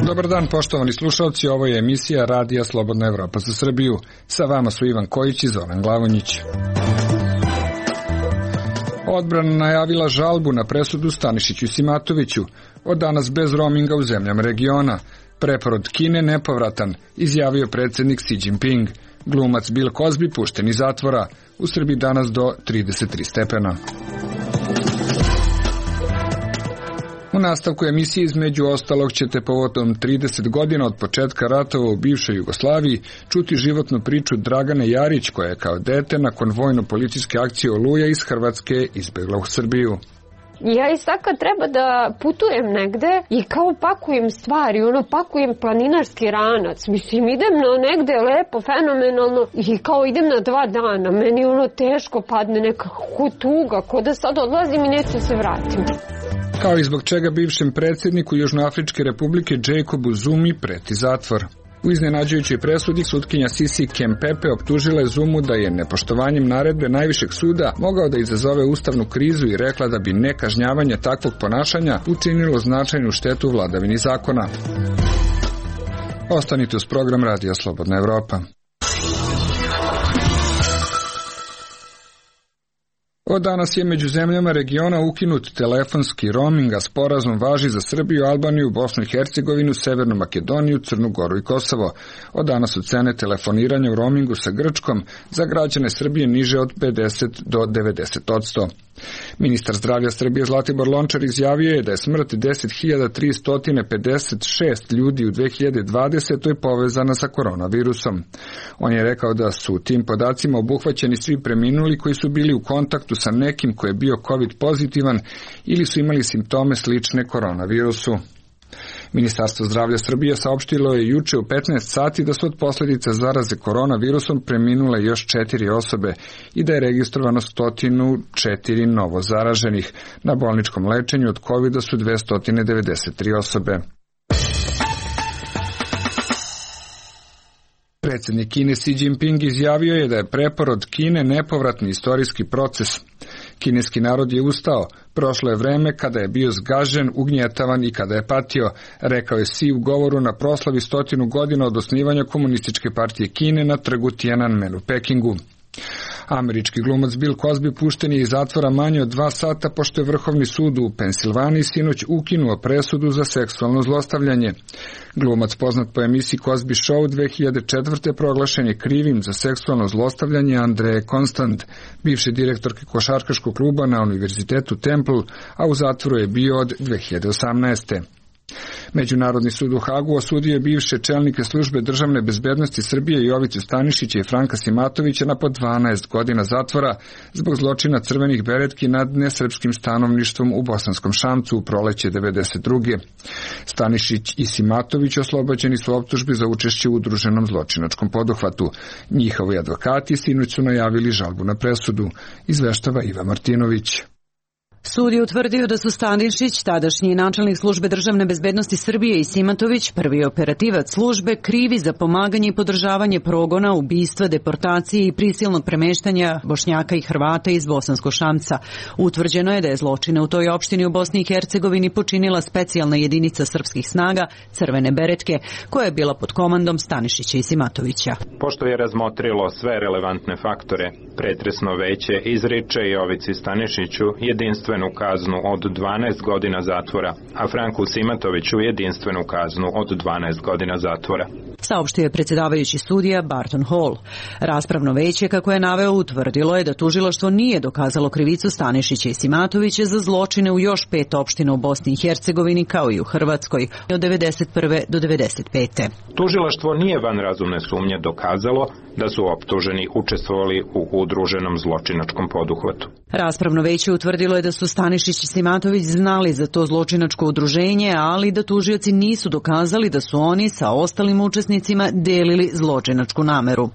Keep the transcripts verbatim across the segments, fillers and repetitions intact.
Dobar dan, poštovani slušalci, ovo je emisija Radija Slobodna Evropa za Srbiju. Sa vama su Ivan Kojić i Zoran Glavonjić. Odbrana najavila žalbu na presudu Stanišiću i Simatoviću, od danas bez roaminga u zemljama regiona. Preporod Kine nepovratan, izjavio predsjednik Xi Jinping. Glumac Bill Cosby pušten iz zatvora, u Srbiji danas do trideset tri stepena. U nastavku emisije između ostalog ćete povodom trideset godina od početka ratova u bivšoj Jugoslaviji čuti životnu priču Dragane Jarić, koja je kao dete nakon vojno-policijske akcije Oluja iz Hrvatske izbegla u Srbiju. Ja i sad kad treba da putujem negde i kao pakujem stvari, ono pakujem planinarski ranac, mislim idem na negde lepo, fenomenalno i kao idem na dva dana, meni ono teško padne nekako tuga, ko da sad odlazim i neću se vratim. Kao i zbog čega bivšem predsjedniku Južnoafričke republike Jacobu Zumi preti zatvor. U iznenađujućoj presudi sutkinja Sisi Kempepe optužila je Zumu da je nepoštovanjem naredbe najvišeg suda mogao da izazove ustavnu krizu i rekla da bi nekažnjavanje takvog ponašanja učinilo značajnu štetu vladavini zakona. Ostanite uz program Radija Slobodna Evropa. Od danas je među zemljama regiona ukinut telefonski roaming, a sporazum važi za Srbiju, Albaniju, Bosnu i Hercegovinu, Severnu Makedoniju, Crnu Goru i Kosovo. Od danas su cene telefoniranja u roamingu sa Grčkom za građane Srbije niže od pedeset do devedeset odsto. Ministar zdravlja Srbije Zlatibor Lončar izjavio je da je smrt deset hiljada tristo pedeset šest ljudi u dve hiljade dvadesetoj povezana sa koronavirusom. On je rekao da su tim podacima obuhvaćeni svi preminuli koji su bili u kontaktu sa nekim ko je bio COVID pozitivan ili su imali simptome slične koronavirusu. Ministarstvo zdravlja Srbije saopštilo je juče u petnaest sati da su od posljedica zaraze koronavirusom preminule još četiri osobe i da je registrovano sto četiri novo zaraženih. Na bolničkom lečenju od kovida su dvesta devedeset tri osobe. Predsjednik Kine Xi Jinping izjavio je da je preporod Kine nepovratni istorijski proces. Kineski narod je ustao, prošlo je vreme kada je bio zgažen, ugnjetavan i kada je patio, rekao je Xi u govoru na proslavi stotinu godina od osnivanja Komunističke partije Kine na trgu Tiananmen u Pekingu. Američki glumac Bill Cosby pušten je iz zatvora manje od dva sata pošto je Vrhovni sud u Pensilvaniji sinoć ukinuo presudu za seksualno zlostavljanje. Glumac poznat po emisiji Cosby Show dve hiljade četvrte proglašen je krivim za seksualno zlostavljanje Andreje Constant, bivše direktorke košarkaškog kluba na Univerzitetu Temple, a u zatvoru je bio od dve hiljade osamnaeste. Međunarodni sud u Hagu osudio je bivše čelnike službe državne bezbednosti Srbije Jovicu Stanišića i Franka Simatovića na po dvanaest godina zatvora zbog zločina crvenih beretki nad nesrpskim stanovništvom u Bosanskom Šamcu u proleće devedeset druge. Stanišić i Simatović oslobođeni su optužbi za učešće u udruženom zločinačkom poduhvatu. Njihovi advokati sinoć su najavili žalbu na presudu, izveštava Iva Martinović. Sud je utvrdio da su Stanišić, tadašnji načelnik službe državne bezbednosti Srbije, i Simatović, prvi operativac službe, krivi za pomaganje i podržavanje progona, ubistva, deportacije i prisilnog premeštanja Bošnjaka i Hrvata iz Bosanskog Šamca. Utvrđeno je da je zločine u toj opštini u Bosni i Hercegovini počinila specijalna jedinica srpskih snaga, Crvene beretke, koja je bila pod komandom Stanišića i Simatovića. Pošto je razmotrilo sve relevantne faktore, pretresno veće izriče Jovici Stanišiću jedinstveno kaznu od dvanaest godina zatvora, a Franku Simatoviću jedinstvenu kaznu od dvanaest godina zatvora. Saopštio je predsjedavajući sudija Barton Hall. Raspravno veće, kako je naveo, utvrdilo je da tužilaštvo nije dokazalo krivicu Stanišića i Simatovića za zločine u još pet opština u Bosni i Hercegovini kao i u Hrvatskoj od devedeset prve do devedeset pete. Tužilaštvo nije van razumne sumnje dokazalo da su optuženi učestvovali u udruženom zločinačkom poduhvatu. Raspravno veće utvrdilo je da su Stanišić i Simatović znali za to zločinačko udruženje, ali da tužioci nisu dokazali da su oni sa ostalim učesnicima delili zločinačku nameru.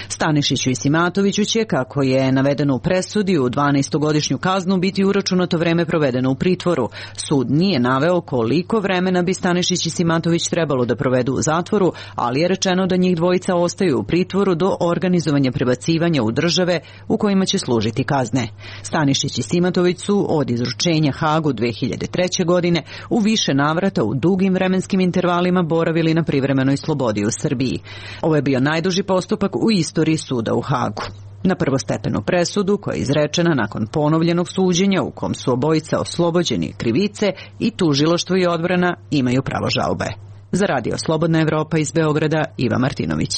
Stanišiću i Simatoviću će, kako je navedeno u presudi, u dvanaestogodišnju kaznu biti uračunato vreme provedeno u pritvoru. Sud nije naveo koliko vremena bi Stanišić i Simatović trebalo da provedu u zatvoru, ali je rečeno da njih dvojica ostaju u pritvoru do organizovanja prebacivanja u države u kojima će služiti kazne. Stanišić i Simatović su od izručenja Hagu dve hiljade treće. godine u više navrata u dugim vremenskim intervalima boravili na privremenoj slobodi u Srbiji. Ovo je bio najduži postupak u istoriji suda u Hagu. Na prvostepenu presudu, koja je izrečena nakon ponovljenog suđenja u kom su obojica oslobođeni krivice, i tužilaštvo i odbrana imaju pravo žalbe. Za Radio Slobodna Evropa iz Beograda, Iva Martinović.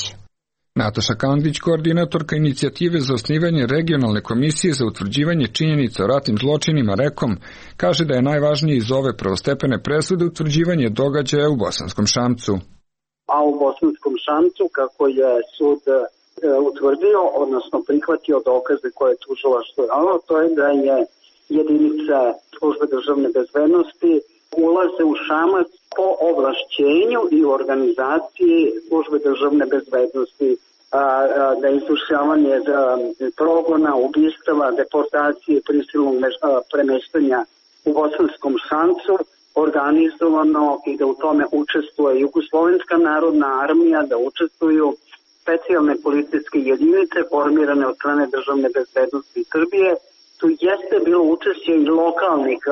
Nataša Kandić, koordinatorka inicijative za osnivanje regionalne komisije za utvrđivanje činjenica o ratnim zločinima REKOM, kaže da je najvažnije iz ove prvostepene presude utvrđivanje događaja u Bosanskom Šamcu. A u Bosanskom Šamcu, kako je sud e, utvrdio, odnosno prihvatio dokaze koje je tužilaštvo dalo, to je da je jedinica službe državne bezbednosti ulaze u Šamac po ovlašćenju i organizaciji službe državne bezbednosti, da je izvršavanje progona, ubistava, deportacije, prisilnog premeštanja u Bosanskom Šamcu organizovano i da u tome učestvuje Jugoslovenska narodna armija, da učestvuju specijalne policijske jedinice formirane od strane državne bezbednosti Srbije. Tu jeste bilo učešće i lokalnih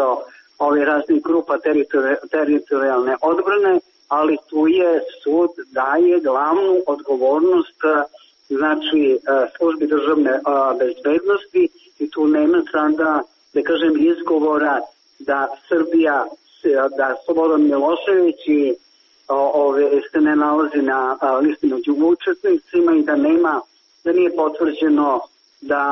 ove raznih grupa teritorijalne odbrane, ali tu je sud daje glavnu odgovornost znači službi državne bezbednosti i tu nema sada, da kažem, izgovora da Srbija, da Slobodan Milošević i ove se ne nalazi na listi među učesnicima i da nema, da nije potvrđeno da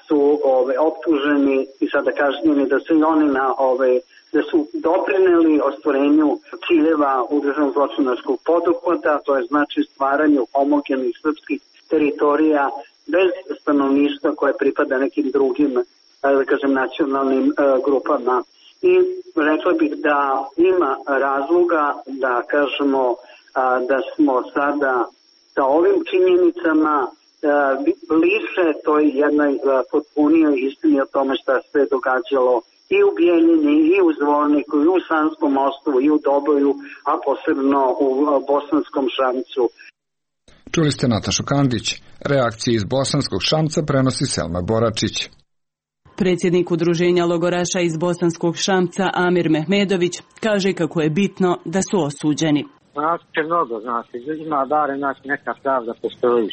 su ove optuženi i sada kažnjeni, da su i oni na ove da su doprineli ostvarenju ciljeva udruženog zločinačkog poduhvata, to je znači stvaranju homogenih srpskih teritorija bez stanovništva koje pripada nekim drugim, da kažem, nacionalnim grupama. I rekla bih da ima razloga da kažemo da smo sada sa ovim činjenicama bliže toj jednoj potpunijoj istini o tome šta se događalo i u Bijeljini, i u Zvorniku, i u Sanskom mostu, i u Doboju, a posebno u Bosanskom Šamcu. Čuli ste Natašu Kandić. Reakcije iz Bosanskog Šamca prenosi Selma Boračić. Predsjednik udruženja logoraša iz Bosanskog Šamca Amir Mehmedović kaže kako je bitno da su osuđeni. Znači će mnogo, znači, ima bare, znači, neka pravda postoji.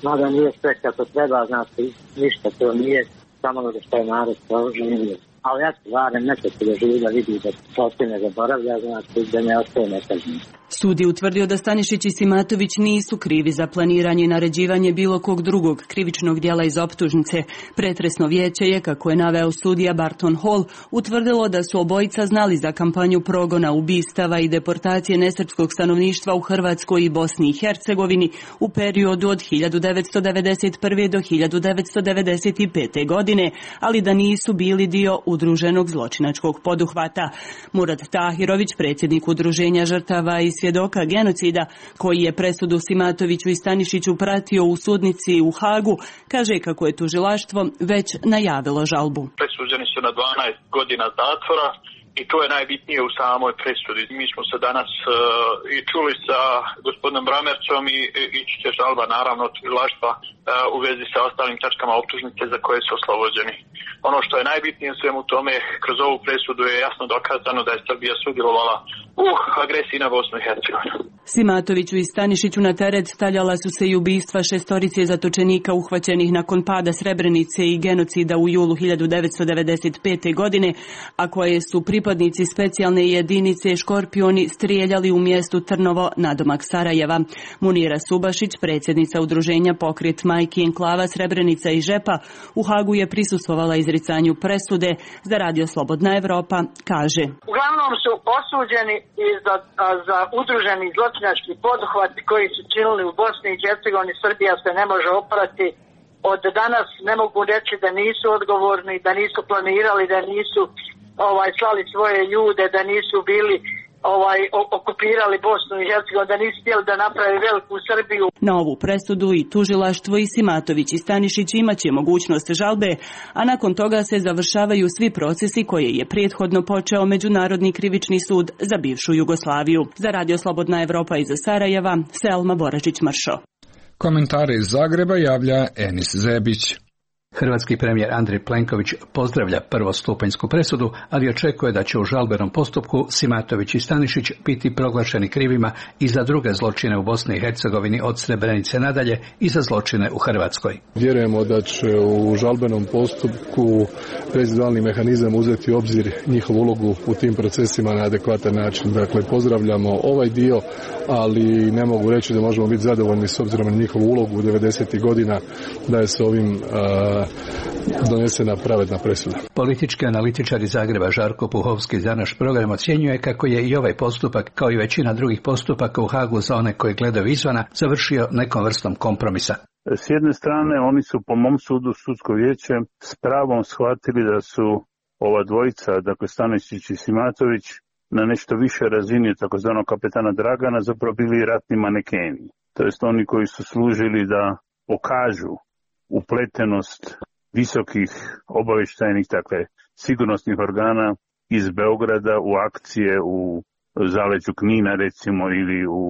Mada nije sve kako treba, znači, ništa to nije, samo ono što je narod proživio. Ali ja se varem neko se da živi da vidi da se ne zaboravlja, znači da ne ostaje nekažnjeno. Sud je utvrdio da Stanišić i Simatović nisu krivi za planiranje i naređivanje bilo kog drugog krivičnog djela iz optužnice. Pretresno vijeće je, kako je naveo sudija Barton Hall, utvrdilo da su obojica znali za kampanju progona, ubistava i deportacije nesrpskog stanovništva u Hrvatskoj i Bosni i Hercegovini u periodu od hiljadu devetsto devedeset prve. do hiljadu devetsto devedeset pete. godine, ali da nisu bili dio udruženog zločinačkog poduhvata. Murad Tahirović, predsjednik udruženja žrtava i svjedoka genocida, koji je presudu Simatoviću i Stanišiću pratio u sudnici u Hagu, kaže kako je tužilaštvo već najavilo žalbu. Presuđeni su na dvanaest godina zatvora i to je najbitnije u samoj presudi. Mi smo se danas uh, i čuli sa gospodinom Bramercom i ići će žalba naravno tužilaštva uh, u vezi sa ostalim tačkama optužnice za koje su oslobođeni. Ono što je najbitnije u svemu tome, kroz ovu presudu je jasno dokazano da je Srbija sudjelovala u agresiji na Bosnu i Hercegovinu. Simatoviću i Stanišiću na teret stavljala su se i ubistva šestorice zatočenika uhvaćenih nakon pada Srebrenice i genocida u julu hiljadu devetsto devedeset pete. godine, a koje su pripadnici specijalne jedinice Škorpioni strijeljali u mjestu Trnovo nadomak Sarajeva. Munira Subašić, predsjednica udruženja Pokret majki enklava Srebrenica i Žepa, u Hagu je prisustvovala izricanju presude. Za Radio Slobodna Evropa kaže: Uglavnom su osuđeni i za, za udruženi zločinački poduhvat koji su činili u Bosni i Hercegovini. Srbija se ne može oprati. Od danas ne mogu reći da nisu odgovorni, da nisu planirali, da nisu ovaj slali svoje ljude, da nisu bili ovaj okupirali Bosnu i Hercegovinu, da nisu htjeli da naprave veliku Srbiju. Na ovu presudu i tužilaštvo i Simatović i Stanišić imaće mogućnost žalbe, a nakon toga se završavaju svi procesi koje je prethodno počeo Međunarodni krivični sud za bivšu Jugoslaviju. Za Radio Slobodna Evropa iz Sarajeva, Selma Boračić-Mršo. Komentare iz Zagreba javlja Enis Zebić. Hrvatski premijer Andrej Plenković pozdravlja prvostupanjsku presudu, ali očekuje da će u žalbenom postupku Simatović i Stanišić biti proglašeni krivima i za druge zločine u Bosni i Hercegovini od Srebrenice nadalje i za zločine u Hrvatskoj. Vjerujemo da će u žalbenom postupku rezidualni mehanizam uzeti u obzir njihovu ulogu u tim procesima na adekvatan način. Dakle, pozdravljamo ovaj dio, ali ne mogu reći da možemo biti zadovoljni s obzirom na njihovu ulogu u devedesetih godina da je s ovim uh, donesena pravedna presuda. Politički analitičar iz Zagreba Žarko Puhovski za naš program ocjenjuje kako je i ovaj postupak, kao i većina drugih postupaka u Hagu za one koji gledaju izvana, završio nekom vrstom kompromisa. S jedne strane, oni su po mom sudu, sudsko vijeće, s pravom shvatili da su ova dvojica, dakle Stanišić i Simatović, na nešto više razini takozvanog kapetana Dragana zapravo bili ratni manekeni. To jest oni koji su služili da pokažu upletenost visokih obavještajnih, dakle sigurnosnih organa iz Beograda u akcije u zaleđu Knina recimo ili u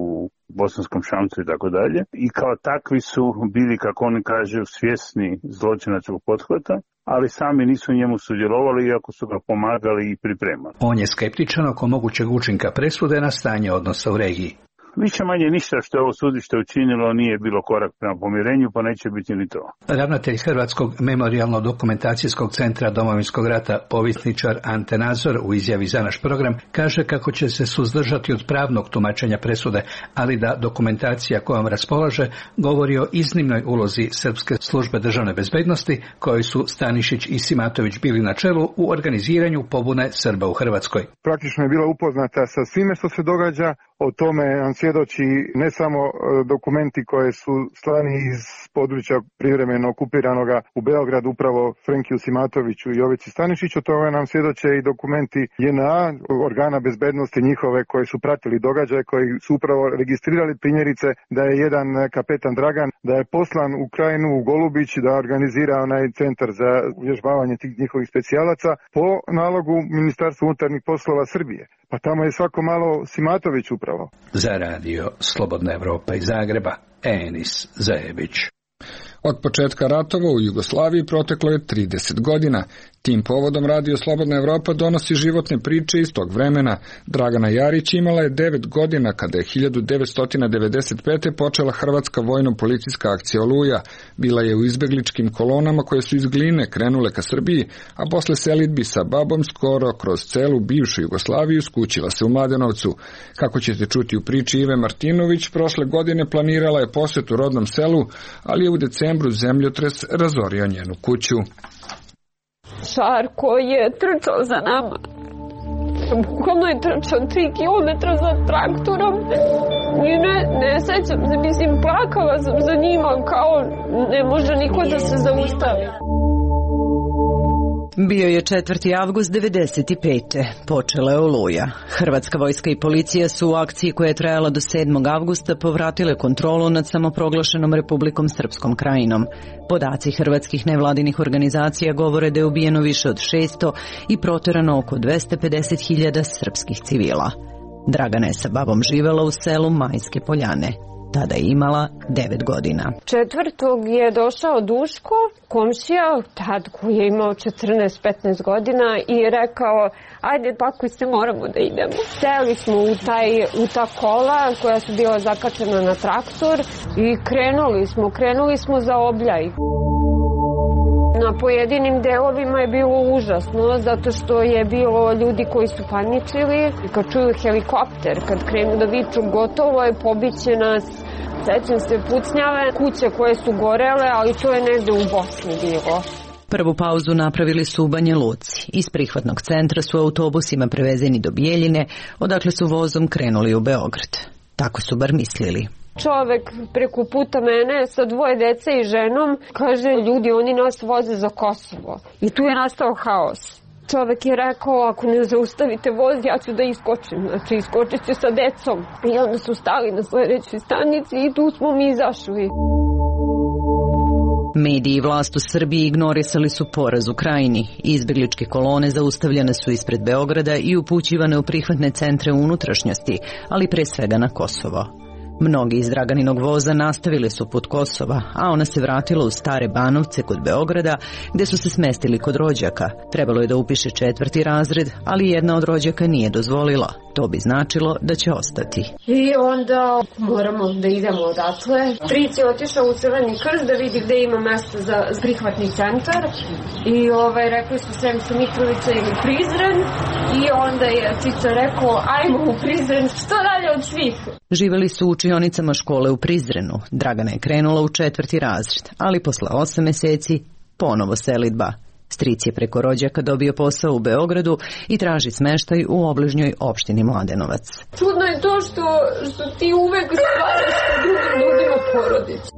Bosanskom Šamcu i tako dalje. I kao takvi su bili, kako oni kažu, svjesni zločinačkog pothvata, ali sami nisu njemu sudjelovali iako su ga pomagali i pripremali. On je skeptičan oko mogućeg učinka presude na stanje odnosa u regiji. Više manje ništa što je ovo sudište učinilo nije bilo korak prema pomirenju, pa neće biti ni to. Ravnatelj Hrvatskog memorijalno-dokumentacijskog centra Domovinskog rata, povjesničar Ante Nazor, u izjavi za naš program, kaže kako će se suzdržati od pravnog tumačenja presude, ali da dokumentacija kojom raspolaže govori o iznimnoj ulozi Srpske službe državne bezbednosti, koji su Stanišić i Simatović bili na čelu u organiziranju pobune Srba u Hrvatskoj. Praktično je bila upoznata sa svime što se događa. O tome nam svjedoči ne samo dokumenti koje su slani iz područja privremeno okupiranoga u Beogradu upravo Frenkiju Simatoviću i Jovici Stanišiću, o tome nam svjedoče i dokumenti J N A, organa bezbednosti njihove koji su pratili događaje, koji su upravo registrirali primjerice da je jedan kapetan Dragan, da je poslan u Krajinu u Golubić da organizira onaj centar za uvježbavanje tih njihovih specijalaca po nalogu Ministarstva unutarnjih poslova Srbije. Pa tamo je svako malo Simatović upravo. Za radio Slobodna Evropa iz Zagreba, Enis Zebić. Od početka ratova u Jugoslaviji proteklo je trideset godina. Tim povodom Radio Slobodna Evropa donosi životne priče iz tog vremena. Dragana Jarić imala je devet godina kada je hiljadu devetsto devedeset pete. počela hrvatska vojno-policijska akcija Oluja. Bila je u izbegličkim kolonama koje su iz Gline krenule ka Srbiji, a posle selidbi sa babom skoro kroz celu bivšu Jugoslaviju skućila se u Mladenovcu. Kako ćete čuti u priči Ive Martinović, prošle godine planirala je posjet u rodnom selu, ali je u decembru zemljotres razorio njenu kuću. Šar koji je trčao za nama. Bukvalno je trčao tri kilometra za traktorom. I ne, ne sećam se, mislim, plakala sam za njima kao ne može niko da se zaustavi. Bio je četvrti avgust devedeset pete. Počela je Oluja. Hrvatska vojska i policija su u akciji koja je trajala do sedmog avgusta povratile kontrolu nad samoproglašenom Republikom Srpskom krajinom. Podaci hrvatskih nevladinih organizacija govore da je ubijeno više od šesto i proterano oko dvesta pedeset hiljada srpskih civila. Dragana je sa babom živela u selu Majske Poljane. Tada je imala devet godina. Četvrtog je došao Duško, komšija, tad koji je imao četrnaest petnaest godina i rekao, ajde pakuj se, moramo da idemo. Seli smo u, taj, u ta kola koja su bila zakačena na traktor i krenuli smo, krenuli smo za Obljaj. Na pojedinim delovima je bilo užasno, zato što je bilo ljudi koji su paničili. Kad čuju helikopter, kad krenu da viču gotovo je, pobiće nas. Sećam se pucnjave, kuće koje su gorele, ali to je negde u Bosni bilo. Prvu pauzu napravili su u Banja Luci. Iz prihvatnog centra su autobusima prevezeni do Bijeljine, odakle su vozom krenuli u Beograd. Tako su bar mislili. Čovek preko puta mene sa dvoje dece i ženom kaže, ljudi, oni nas voze za Kosovo. I tu je nastao haos. Čovek je rekao, ako ne zaustavite voz, ja ću da iskočim. Znači, iskočit ću sa decom. I onda su stali na sledećoj stanici i tu smo mi izašli. Mediji i vlast u Srbiji ignorisali su poraz u Krajini. Izbegličke kolone zaustavljene su ispred Beograda i upućivane u prihvatne centre unutrašnjosti, ali pre svega na Kosovo. Mnogi iz Draganinog voza nastavili su put Kosova, a ona se vratila u Stare Banovce kod Beograda, gde su se smestili kod rođaka. Trebalo je da upiše četvrti razred, ali jedna od rođaka nije dozvolila. To bi značilo da će ostati. I onda moramo da idemo odatle. Stric je otišao u Crveni krst da vidi gde ima mesto za prihvatni centar. I ovaj, rekli su Sremska Mitrovica ili Prizren. I onda je Cica rekao, ajmo u Prizren, što dalje od svih. Živeli su u učionicama škole u Prizrenu. Dragana je krenula u četvrti razred, ali posle osam meseci ponovo selidba. Stric je preko rođaka dobio posao u Beogradu i traži smeštaj u obližnjoj opštini Mladenovac. Čudno je to što, što ti uvek stvaraš sa drugim ljudima porodicu.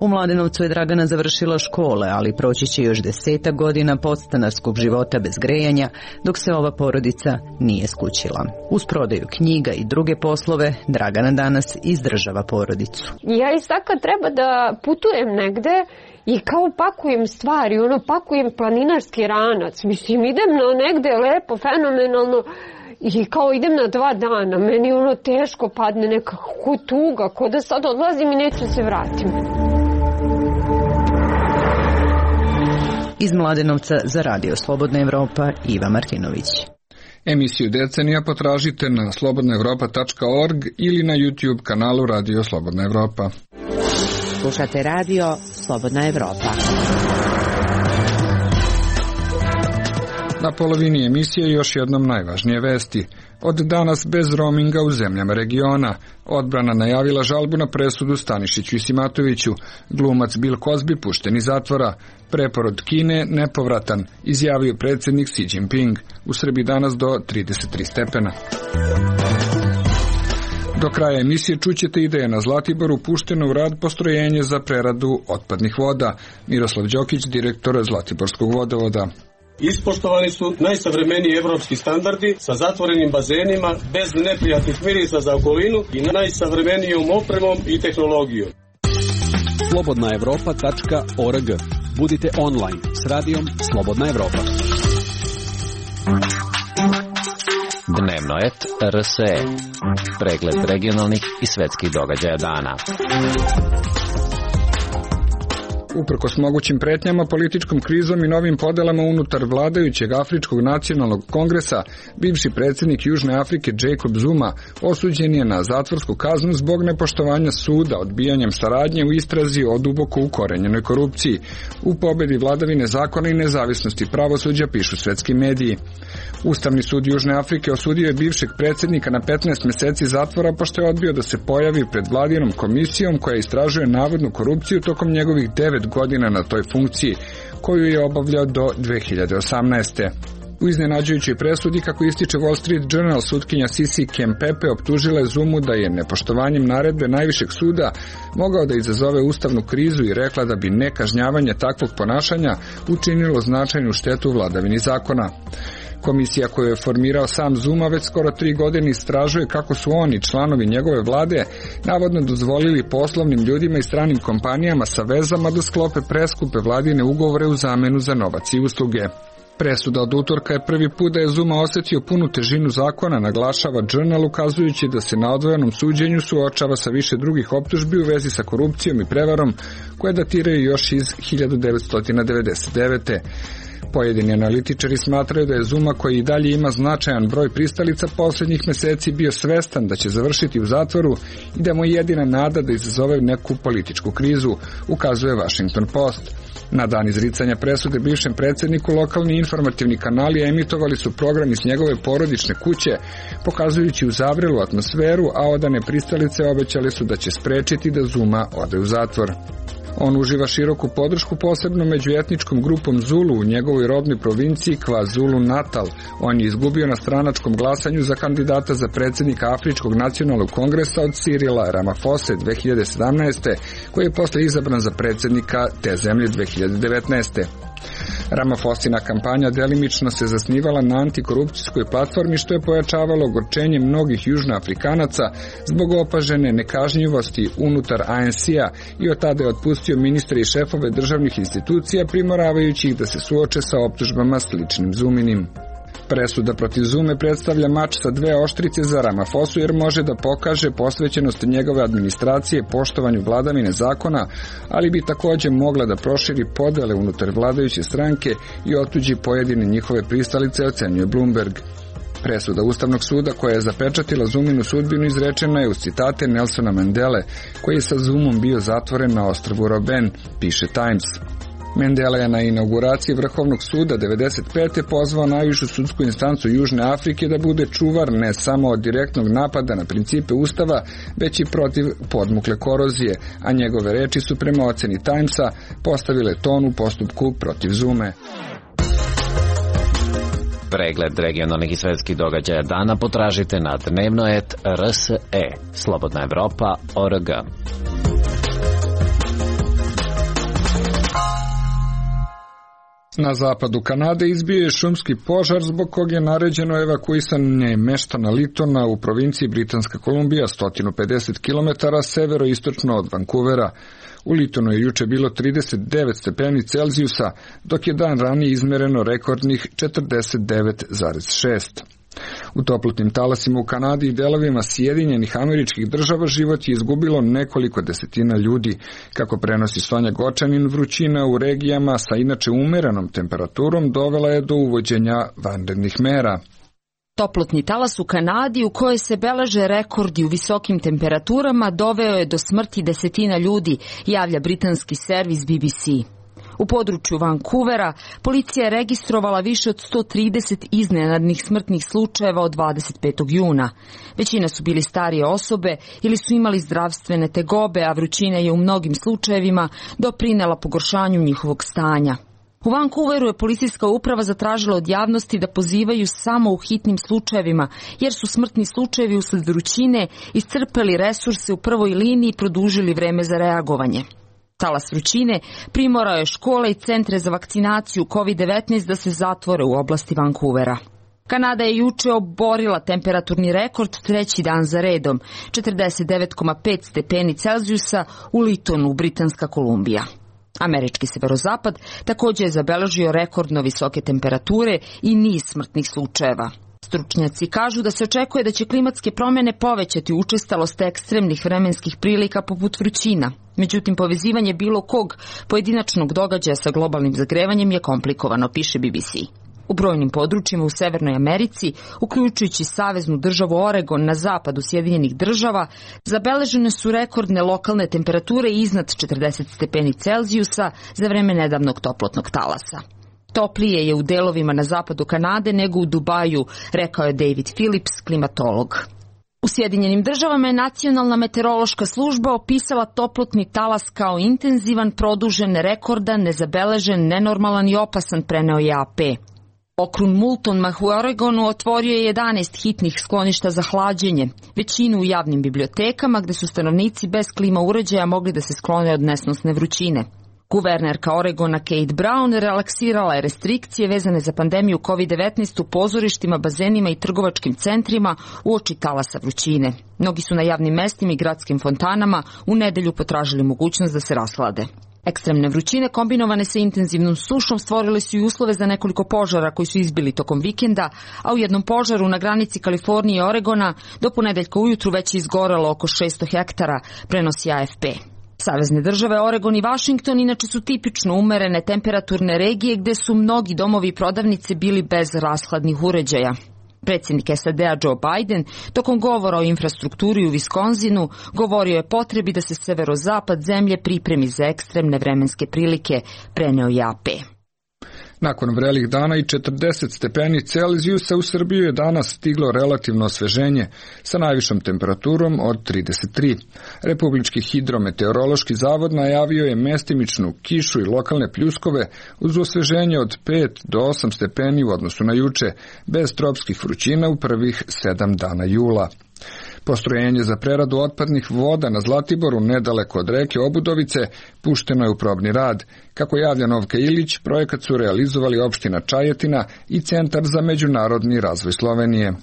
U Mladenovcu je Dragana završila škole, ali proći će još desetak godina podstanarskog života bez grejanja, dok se ova porodica nije skućila. Uz prodaju knjiga i druge poslove, Dragana danas izdržava porodicu. Ja i sad kad treba da putujem negde, i kao pakujem stvari, ono, pakujem planinarski ranac. Mislim, idem na negde lepo, fenomenalno i kao idem na dva dana. Meni ono teško padne nekako tuga, ko da sad odlazim i neću se vratim. Iz Mladenovca za Radio Slobodna Evropa, Iva Martinović. Emisiju Decenija potražite na slobodna evropa tačka org ili na YouTube kanalu Radio Slobodna Evropa. Slušate Radio Slobodna Evropa. Na polovini emisije još jednom najvažnije vesti. Od danas bez roaminga u zemljama regiona. Odbrana najavila žalbu na presudu Stanišiću i Simatoviću. Glumac Bill Cosby pušten iz zatvora. Preporod Kine nepovratan, izjavio predsjednik Xi Jinping. U Srbiji danas do trideset tri stepena. Do kraja emisije čućete ideje na Zlatiboru pušteno u rad postrojenje za preradu otpadnih voda. Miroslav Đokić, direktor Zlatiborskog vodovoda. Ispoštovani su najsavremeniji evropski standardi sa zatvorenim bazenima, bez neprijatnih mirisa za okolinu i najsavremenijom opremom i tehnologijom. slobodna evropa tačka org. Budite online s radijom Slobodna Evropa. Dnevnoet R S E. Pregled regionalnih i svetskih događaja dana. Uprkos mogućim pretnjama, političkom krizom i novim podelama unutar vladajućeg Afričkog nacionalnog kongresa, bivši predsjednik Južne Afrike Jacob Zuma osuđen je na zatvorsku kaznu zbog nepoštovanja suda odbijanjem saradnje u istrazi o duboko ukorenjenoj korupciji. U pobedi vladavine zakona i nezavisnosti pravosuđa pišu svetski mediji. Ustavni sud Južne Afrike osudio je bivšeg predsjednika na petnaest meseci zatvora pošto je odbio da se pojavi pred vladinom komisijom koja istražuje navodnu korupciju tokom njegovih devet godina na toj funkciji, koju je obavljao do dve hiljade osamnaeste. U iznenađujućoj presudi, kako ističe Wall Street Journal, sutkinja Sisi Kempepe optužila je Zumu da je nepoštovanjem naredbe najvišeg suda mogao da izazove ustavnu krizu i rekla da bi nekažnjavanje takvog ponašanja učinilo značajnu štetu vladavini zakona. Komisija koju je formirao sam Zuma već skoro tri godine istražuje kako su oni, članovi njegove vlade, navodno dozvolili poslovnim ljudima i stranim kompanijama sa vezama da sklope preskupe vladine ugovore u zamenu za novac i usluge. Presuda od utorka je prvi put da je Zuma osjetio punu težinu zakona, naglašava Journal, ukazujući da se na odvojenom suđenju suočava sa više drugih optužbi u vezi sa korupcijom i prevarom koje datiraju još iz hiljadu devetsto devedeset devete. Pojedini analitičari smatraju da je Zuma, koji i dalje ima značajan broj pristalica, posljednjih meseci bio svestan da će završiti u zatvoru i da mu je jedina nada da izazove neku političku krizu, ukazuje Washington Post. Na dan izricanja presude bivšem predsjedniku lokalni informativni kanali emitovali su program iz njegove porodične kuće, pokazujući uzavrelu atmosferu, a odane pristalice obećali su da će sprečiti da Zuma ode u zatvor. On uživa široku podršku posebno među etničkom grupom Zulu u njegovoj rodnoj provinciji KwaZulu Natal. On je izgubio na stranačkom glasanju za kandidata za predsjednika Afričkog nacionalnog kongresa od Cyrila Ramaphosa dve hiljade sedamnaeste. koji je posle izabran za predsjednika te zemlje dve hiljade devetnaeste. Ramaphoseina kampanja delimično se zasnivala na antikorupcijskoj platformi, što je pojačavalo ogorčenje mnogih južnoafrikanaca zbog opažene nekažnjivosti unutar A N C-a i od tada je otpustio ministre i šefove državnih institucija, primoravajući ih da se suoče sa optužbama sličnim Zuminim. Presuda protiv Zume predstavlja mač sa dve oštrice za Ramaphosu jer može da pokaže posvećenost njegove administracije poštovanju vladavine zakona, ali bi takođe mogla da proširi podele unutar vladajuće stranke i otuđi pojedine njihove pristalice, ocenjuje Bloomberg. Presuda Ustavnog suda koja je zapečatila Zuminu sudbinu izrečena je uz citate Nelsona Mandele, koji je sa Zumom bio zatvoren na ostrvu Robben, piše Times. Mandela je na inauguraciji Vrhovnog suda devedeset pete pozvao najvišu sudsku instancu Južne Afrike da bude čuvar ne samo od direktnog napada na principe Ustava, već i protiv podmukle korozije, a njegove reči su prema oceni Timesa postavile ton u postupku protiv Zume. Pregled regionalnih i svetskih događaja dana potražite na dnevnoet R S E, Slobodna Evropa, O R G. Na zapadu Kanade izbio je šumski požar zbog kog je naređeno evakuisanje meštana Litona u provinciji Britanska Kolumbija, sto pedeset kilometara severoistočno od Vancouvera. U Litonu je juče bilo trideset devet stepeni Celzijusa, dok je dan ranije izmereno rekordnih četrdeset devet zarez šest. U toplotnim talasima u Kanadi i delovima Sjedinjenih Američkih Država život je izgubilo nekoliko desetina ljudi. Kako prenosi Sonja Gočanin, vrućina u regijama sa inače umerenom temperaturom dovela je do uvođenja vanrednih mera. Toplotni talas u Kanadi, u kojoj se beleže rekordi u visokim temperaturama, doveo je do smrti desetina ljudi, javlja britanski servis B B C. U području Vancouvera policija je registrovala više od sto trideset iznenadnih smrtnih slučajeva od dvadeset petog juna. Većina su bili starije osobe ili su imali zdravstvene tegobe, a vrućina je u mnogim slučajevima doprinela pogoršanju njihovog stanja. U Vancouveru je policijska uprava zatražila od javnosti da pozivaju samo u hitnim slučajevima, jer su smrtni slučajevi usled vrućine iscrpeli resurse u prvoj liniji i produžili vreme za reagovanje. Talas vrućine primorao je škole i centre za vakcinaciju kovid devetnaest da se zatvore u oblasti Vancouvera. Kanada je juče oborila temperaturni rekord treći dan za redom, četrdeset devet zarez pet stepeni Celzijusa u Litonu, Britanska Kolumbija. Američki severozapad također je zabeležio rekordno visoke temperature i niz smrtnih slučajeva. Stručnjaci kažu da se očekuje da će klimatske promjene povećati učestalost ekstremnih vremenskih prilika poput vrućina. Međutim, povezivanje bilo kog pojedinačnog događaja sa globalnim zagrevanjem je komplikovano, piše B B C. U brojnim područjima u Severnoj Americi, uključujući saveznu državu Oregon na zapadu Sjedinjenih Država, zabeležene su rekordne lokalne temperature iznad četrdeset stepeni Celzijusa za vreme nedavnog toplotnog talasa. Toplije je u delovima na zapadu Kanade nego u Dubaju, rekao je David Phillips, klimatolog. U Sjedinjenim Državama je Nacionalna meteorološka služba opisala toplotni talas kao intenzivan, produžen, rekordan, nezabeležen, nenormalan i opasan, preneo je A P. Okrug Moulton u Oregonu otvorio je jedanaest hitnih skloništa za hlađenje, većinu u javnim bibliotekama gde su stanovnici bez klima uređaja mogli da se sklone od nesnosne vrućine. Guvernerka Oregona Kate Brown relaksirala je restrikcije vezane za pandemiju kovid devetnaest u pozorištima, bazenima i trgovačkim centrima uoči talasa vrućine. Mnogi su na javnim mestima i gradskim fontanama u nedelju potražili mogućnost da se raslade. Ekstremne vrućine kombinovane sa intenzivnom sušom stvorile su i uslove za nekoliko požara koji su izbili tokom vikenda, a u jednom požaru na granici Kalifornije i Oregona do ponedeljka ujutru već je izgorelo oko šesto hektara, prenosi A F P. Savezne države Oregon i Washington inače su tipično umerene temperaturne regije gde su mnogi domovi i prodavnice bili bez rashladnih uređaja. Predsjednik S A D-a Joe Biden tokom govora o infrastrukturi u Wisconsinu govorio je potrebi da se severozapad zemlje pripremi za ekstremne vremenske prilike, preneo je A P. Nakon vrelih dana i četrdeset stepeni Celzijusa u Srbiju je danas stiglo relativno osveženje sa najvišom temperaturom od trideset tri. Republički hidrometeorološki zavod najavio je mestimičnu kišu i lokalne pljuskove uz osveženje od pet do osam stepeni u odnosu na juče, bez tropskih vrućina u prvih sedam dana jula. Postrojenje za preradu otpadnih voda na Zlatiboru, nedaleko od reke Obudovice, pušteno je u probni rad. Kako javlja Novka Ilić, projekat su realizovali opština Čajetina i Centar za međunarodni razvoj Slovenije.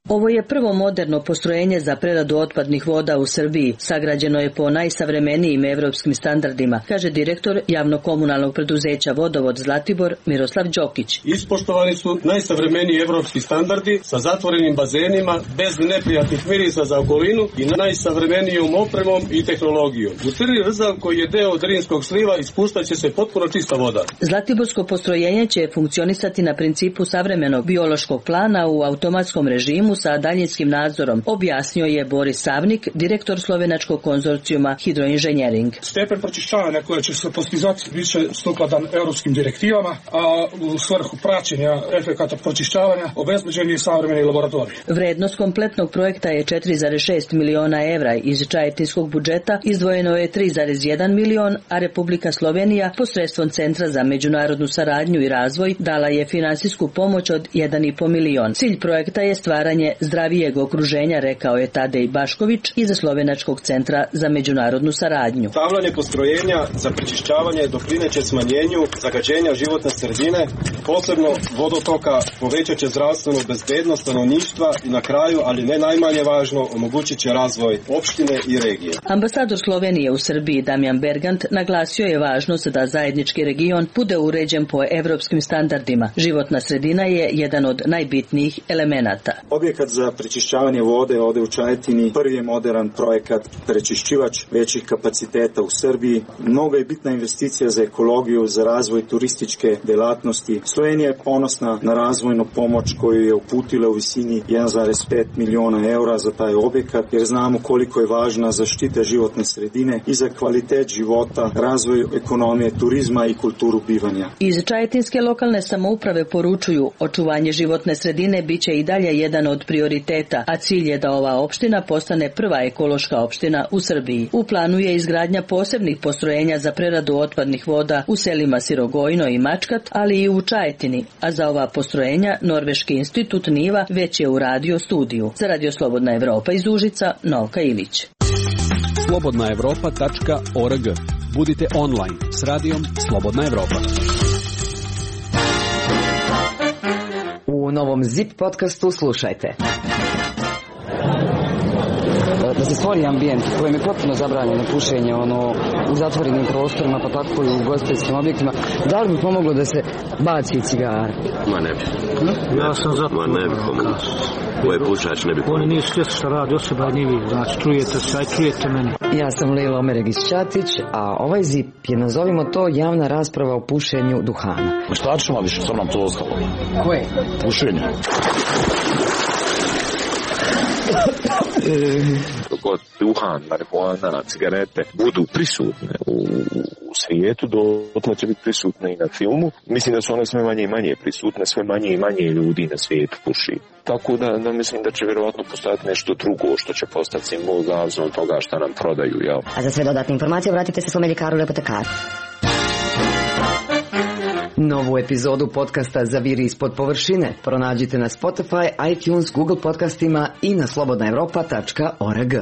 Ovo je prvo moderno postrojenje za preradu otpadnih voda u Srbiji. Sagrađeno je po najsavremenijim evropskim standardima, kaže direktor javno-komunalnog preduzeća Vodovod Zlatibor Miroslav Đokić. Ispoštovani su najsavremeniji evropski standardi sa zatvorenim bazenima, bez neprijatnih mirisa za okolinu i najsavremenijom opremom i tehnologijom. U Crni Rzav, koji je deo Drinskog sliva, ispuštaće se potpuno čista voda. Zlatiborsko postrojenje će funkcionisati na principu savremenog biološkog plana u automatskom režimu sa daljinskim nadzorom, objasnio je Boris Savnik, direktor slovenačkog konzorcijuma Hidroinženjering. Stepen pročišćavanja koje će se postizati biće sukladan europskim direktivama, a u svrhu praćenja efekata pročišćavanja obezbeđen je savremeni laboratorij. Vrednost kompletnog projekta je četiri zarez šest miliona evra, iz čajetinskog budžeta izdvojeno je tri zarez jedan milion, a Republika Slovenija posredstvom Centra za međunarodnu saradnju i razvoj dala je finansijsku pomoć od jedan i po milion. Cilj projekta je stvaranje zdravijeg okruženja, rekao je Tadej Bašković iz Slovenačkog centra za međunarodnu saradnju. Stavljanje postrojenja za prečišćavanje doprineće smanjenju zagađenja životne sredine, posebno vodotoka, povećat će zdravstvenu bezbednost stanovništva i na kraju, ali ne najmanje važno, omogućit će razvoj opštine i regije. Ambasador Slovenije u Srbiji Damjan Bergant naglasio je važnost da zajednički region bude uređen po evropskim standardima. Životna sredina je jedan od najbitnijih elemenata. Objekat za prečišćavanje vode ovde u Čajetini prvi je modern projekat prečišćivač većih kapaciteta u Srbiji. Mnogo je bitna investicija za ekologiju, za razvoj turističke delatnosti. Slovenija je ponosna na razvojnu pomoć koju je uputila u visini jedan zarez pet miliona eura za taj objekat, jer znamo koliko je važna zaštita životne sredine i za kvalitet života, razvoj ekonomije, turizma i kulturu bivanja. Iz čajetinske lokalne samouprave poručuju, očuvanje životne sredine biće i dalje jedan od prioriteta, a cilj je da ova opština postane prva ekološka opština u Srbiji. U planu je izgradnja posebnih postrojenja za preradu otpadnih voda u selima Sirogojno i Mačkat, ali i u Čajetini, a za ova postrojenja Norveški institut Niva već je uradio studiju. Za Radio Slobodna Evropa iz Užica, Novka Ilić. slobodna evropa tačka org. Budite online s radijom Slobodna Evropa. U novom Zip podcastu slušajte. Da se stvori ambijent u kojem je potpuno zabranjeno pušenje ono, u zatvorenim prostorima, pa tako i u ugostiteljskim objektima, da li bi pomoglo da se baci cigara? Ma ne bi. Hm? Ja sam za... Ma ne bi pomoglo. Ko je pušač ne bi pomoglo. Oni nisu svjesni šta radi, osoba ni vi, znači čujete se, aj čujete meni. Ja sam Lila Omeregić-Ćatić, a ovaj Zip je, nazovimo to, javna rasprava o pušenju duhana. Ma šta ćemo više, što nam to ostalo? Koje? Pušenje. Dok duhan, marihuana, cigarete budu prisutne u, u svijetu, dotle će biti prisutne i na filmu. Mislim da su one sve manje i manje prisutne, sve manje i manje ljudi na svijetu puši. Tako da, da mislim da će vjerovatno postojati nešto drugo što će postati simbol zavisno od toga šta nam prodaju. Jel? A za sve dodatne informacije vratite se svome ljekaru ili apotekaru. Novu epizodu podcasta Zaviri ispod površine pronađite na Spotify, iTunes, Google podcastima i na slobodna evropa tačka org.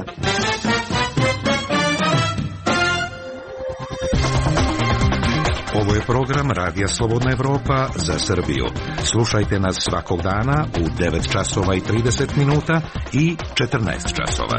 Ovo je program Radija Slobodna Evropa za Srbiju. Slušajte nas svakog dana u devet časova i trideset minuta i četrnaest časova.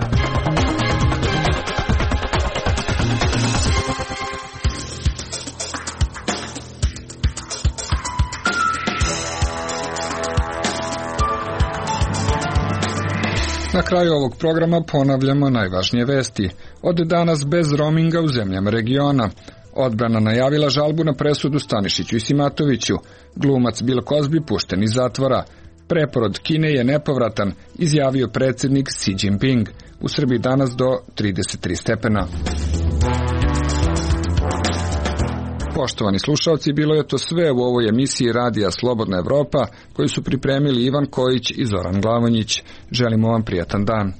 Na kraju ovog programa ponavljamo najvažnije vesti. Od danas bez roaminga u zemljama regiona. Odbrana najavila žalbu na presudu Stanišiću i Simatoviću. Glumac Bill Cosby pušten iz zatvora. Preporod Kine je nepovratan, izjavio predsjednik Xi Jinping. U Srbiji danas do trideset tri stepena. Poštovani slušalci, bilo je to sve u ovoj emisiji Radija Slobodna Evropa, koju su pripremili Ivan Kojić i Zoran Glavonjić. Želimo vam prijatan dan.